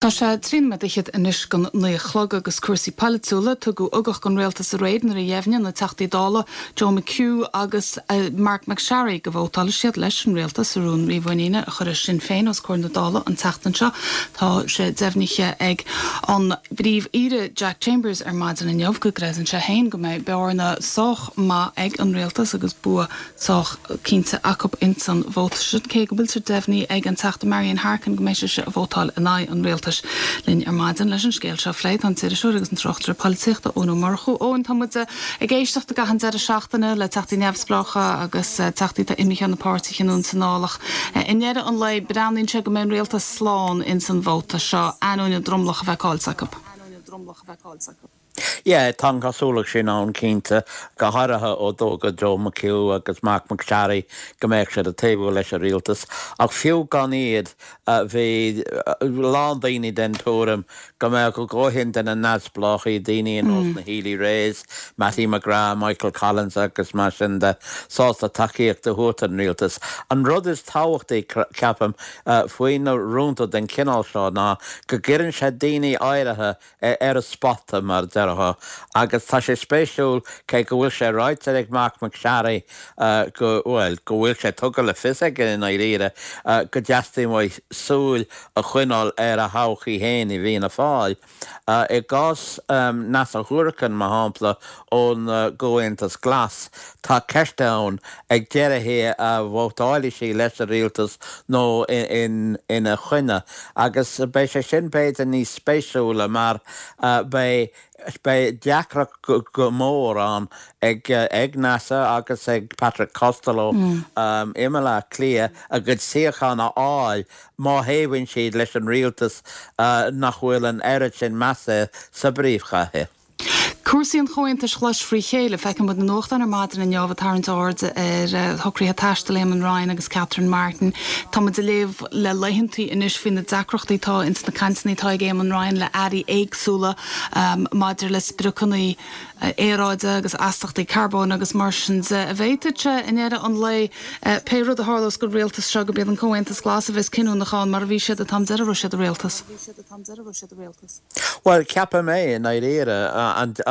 Tá sé 13 nóiméad fhichead anois don 9 a chlog agus cúrsaí polaitiúla. Tugadh ugach don rialtas aréir nuair a dheimhnigh na Teachtaí Dála Joe McHugh agus Marc MacSharry go vótálfaidh siad leis an rialtas sa rún mímhuiníne a chuirfidh Sinn Féin os comhair na Dála an tseachtain seo. Tá sé deimhnithe ag an bPríomh-Aoire Jack Chambers ar maidin inniu go gcreideann sé féin go mbeidh bearna sách maith ag an rialtas agus bua sách cinnte acu ins an vóta sin, cé go bhfuil sé deimhnithe ag an Teachta Marian Harkin go mbeidh sise ag vótáil in aghaidh an rialtais. Linn ar maidin leis an scéal seo a phlé tá an t-iriseoir agus an tráchtaire polaitíochta Eoin Ó Murchú. Eoin, tá muid ag éisteacht i gcaitheamh an deireadh seachtaine le Teachtaí neamhspleácha agus Teachtaí atá imithe ó na páirtithe anonn is anall ach i ndeireadh an lae breathnaíonn sé go mbeidh an rialtas slán ins an vóta seo, ainneoin an dromlach a bheith caillte acu. Yeah, tá an chosúlacht sin ann cinnte, go háirithe ó d'fhógair Joe McHugh agus Marc MacSharry go mbeadh siad ag taobhú leis an rialtas. Ach fiú gan iad, bhí a lán daoine den tuairim go mbeadh a dhóthain de na neamhspleáchaí, daoine ar nós na Healy-Raes, Mattie McGrath, Michael Collins agus mar sin de, sásta tacaíocht a thabhairt don rialtas. An rud is tábhachtaí, ceapaim, faoi na rúnta den chineál seo ná go gcuireann sé daoine áirithe ar an spota, mar a déarfá, agus tá sé spéisiúil, cé go bhfuil sé ráite ag Marc MacSharry go, bhuel, go bhfuil sé tugtha le fios aige i ndáiríre, go dteastaíonn uaidh súil a choinneáil ar a thodhchaí féin i bhFianna Fáil. I gcás Neasa Hourican, mar shampla, ón gComhaontas Glas, tá ceist ann ag deireadh thiar an vótálfaidh sí leis an rialtas nó ina choinne agus beidh sé sin b'fhéidir níos spéisiúla mar beidh beidh deacracht go mór ann ag ag Neasa agus ag Patrick Costello i mBaile Átha Cliath a gcuid suíochán a fháil má thaobhaíonn siad leis an rialtas nach bhfuil an oiread sin measa air sa bpríomhchathair. Cúrsaí an Chomhaontais Ghlais frí chéile. Feiceann muid na nuachtáin ar maidin inniu ag tarraingt aird ar shocruithe taistil Éamon Ryan agus Catherine Martin. Tá muid ag léamh le laethantaí anois faoi na deacrachtaí atá ins na cainteanna atá ag Éamon Ryan le airí éagsúla maidir le spriocanna aeráide agus astachtaí carbóin agus mar sin de. An bhféadfadh sé i ndeireadh an lae, pé rud a tharlós don rialtas seo, gurb iad an Comhaontas Glas a bheas cinniúnach ann mar a bhí siad an t-am deiridh a raibh siad i rialtas? Bhuel, ceapaim é, i ndáiríre.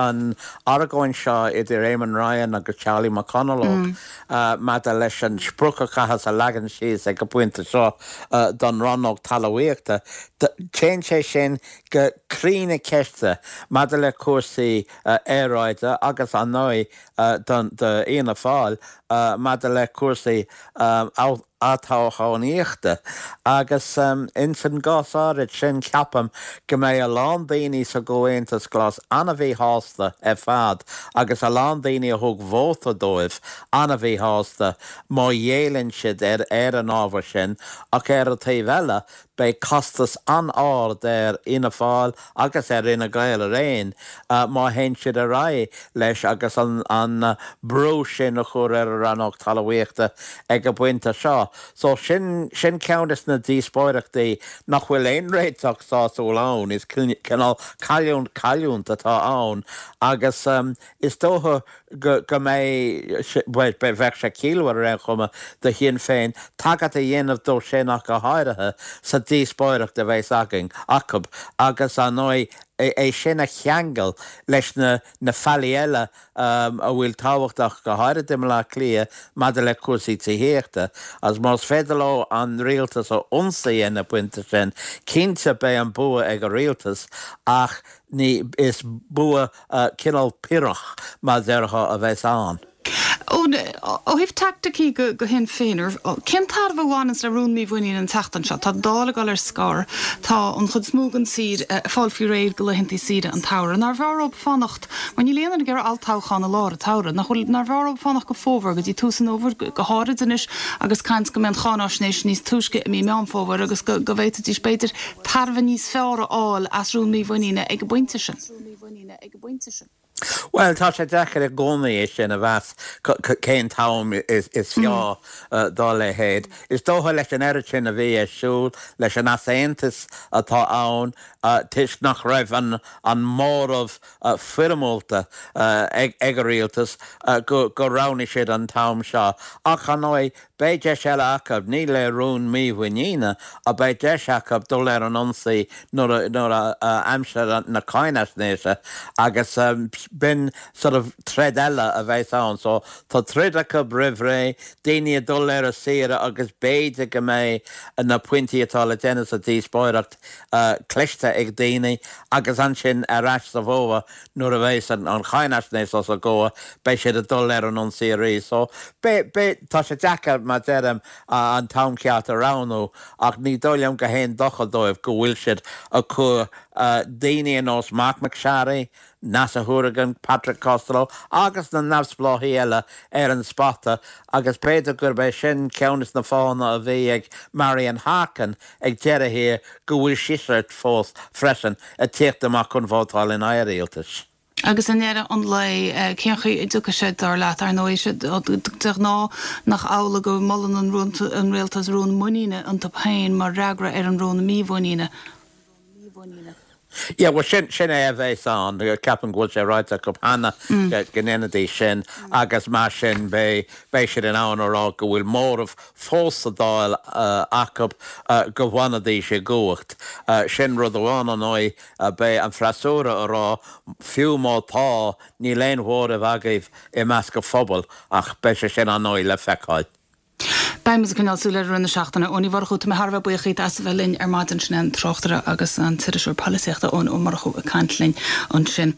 An argóint seo idir Éamon Ryan agus Charlie McConalogue maidir leis an sprioc a chaitheas a leagan síos ag an bpointe seo don rannóg talmhaíochta, téann sé sin go croí na ceiste maidir le cúrsaí aeráide agus, ar ndóigh, do Fhianna Fáil maidir le cúrsaí olltoghchánaíochta agus ins an gcás áirid sin ceapaim go mbeidh a lán daoine sa gComhaontas Glas an-mhíshásta ar fad agus a lán daoine a thug vóta dóibh an-mhíshásta má ghéilleann siad ar ar an ábhar sin ach ar an taobh eile Beidh costas an-ard ar Fhianna Fáil agus ar Fhine Gael araon má théann siad ar aghaidh leis agus an brú sin a chur ar an rannóg talmhaíochta ag an bpointe seo. So sin sin ceann des na díospóireachtaí nach bhfuil aon réiteach sásúil ann. Is cineál cailliúint cailliúint atá ann agus is dócha go go mbeidh, bhuel, bheadh sé ciallmhar ar aon chuma do Shinn Féin tagairt a dhéanamh dó sin ach go háirithe sa díospóireacht a bheas againn, acu agus ar ndóigh é sin a cheangal leis na na faillí eile a bhfuil tábhachtach go háirithe i mBaile Átha Cliath maidir le cúrsaí tithíochta agus más féidir leo an rialtas a ionsaí ag an bpointe sin, cinnte beidh an bua ag an rialtas ach ní, is bua cineál Piorrach, mar a déarfá, a bheas ann. Ó thaobh teaicticí do Shinn Féin, cén tairbhe a bhaineanns le rún mímhuiníne an tseachtain seo? Tá an Dáil ag dul ar scor, tá an chuid is mó den tír ag fáil faoi réir do laethantaí saoire an tsamhraidh. Nárbh fhearr dóibh fanacht, mar níl aon duine ag iarraidh olltoghchán i lár an tsamhraidh, nach bhfuil, nárbh fhearr dóibh fanacht go fómhar, go dtí tús an fhómhair, go háirid anois agus caint go mbeidh an cháináisnéis níos túisce i mí Meán Fómhair agus go bhféadfaidís, b'fhéidir, tairbhe níos fearr a fháil as rún mímhuiníne ag an bpointe sin. Bhuel, tá sé deacair i gcónaí é sin a mheas, cén t-am is fearr dá leithéid. Is dócha leis an oiread sin a bhí ar siúl, leis an easaontas atá ann, toisc nach raibh an móramh foirmiúlta ag an rialtas, gur roghnaigh siad an t-am seo. Ach, ar ndóigh, Beidh deis eile acu, ní le rún mímhuiníne, ach beidh deis acu dul ar an ionsaí nuair a aimsir na cáinaisnéise agus b'in sort of troid eile a bheas ann. So tá troid acu roimh ré, daoine ag dul ar a saoire agus b'fhéidir go mbeidh na pointí atá le déanamh sa díospóireacht cloiste ag daoine agus ansin ar ais sa bhfómhar Nuair a bheas an cháinaisnéis os a gcomhair, beidh siad ag dul ar an ionsaí arís. So, beidh, beidh, tá sé deacair, mar deirim, an t-am ceart a roghnú, ach ní dóigh liom go haon dochar dóibh go bhfuil siad ag cur daoine ar nós Marc MacSharry, Neasa Hourigan, Patrick Costello agus na neamhspleáchaí eile ar an spota agus b'fhéidir gurb é sin ceann des na fáthanna a bhí ag Marian Harkin ag deireadh thiar go bhfuil sise fós freisin ag tíocht amach chun vótáil in aghaidh an rialtais. Agus i ndeireadh an lae, cén chaoi a dtiocfaidh sé, dar leat? Ar ndóigh, de ghnáth, nach amhlaidh go molann an rialtas rún muiníne iontu féin mar fhreagra ar an rún mímhuiníne? Yeah, bhuel sin, sin é a bheas ann. Ceapaim go bhfuil sé ráite acu cheana go ndéanfaidís sin agus mar sin beidh, beidh siad in ann a rá go bhfuil móramh fós sa Dáil acu go bhfanfaidís i gcumhacht. Sin rud amháin, ar ndóigh, beidh an freasúra a rá fiú má tá, níl aon mhóramh agaibh i measc an phobail ach beidh sé sin ar ndóigh le feiceáil. Beidh muid ag coinneáil súil air i rith na seachtaine. Eoin Uí Mhurchú, tá mé thar a bheith buíoch díot as a bheith linn ar maidin. Sin é an tráchtaire agus an t-iriseoir polaitíochta Eoin Ó Murchú ag caint linn ansin.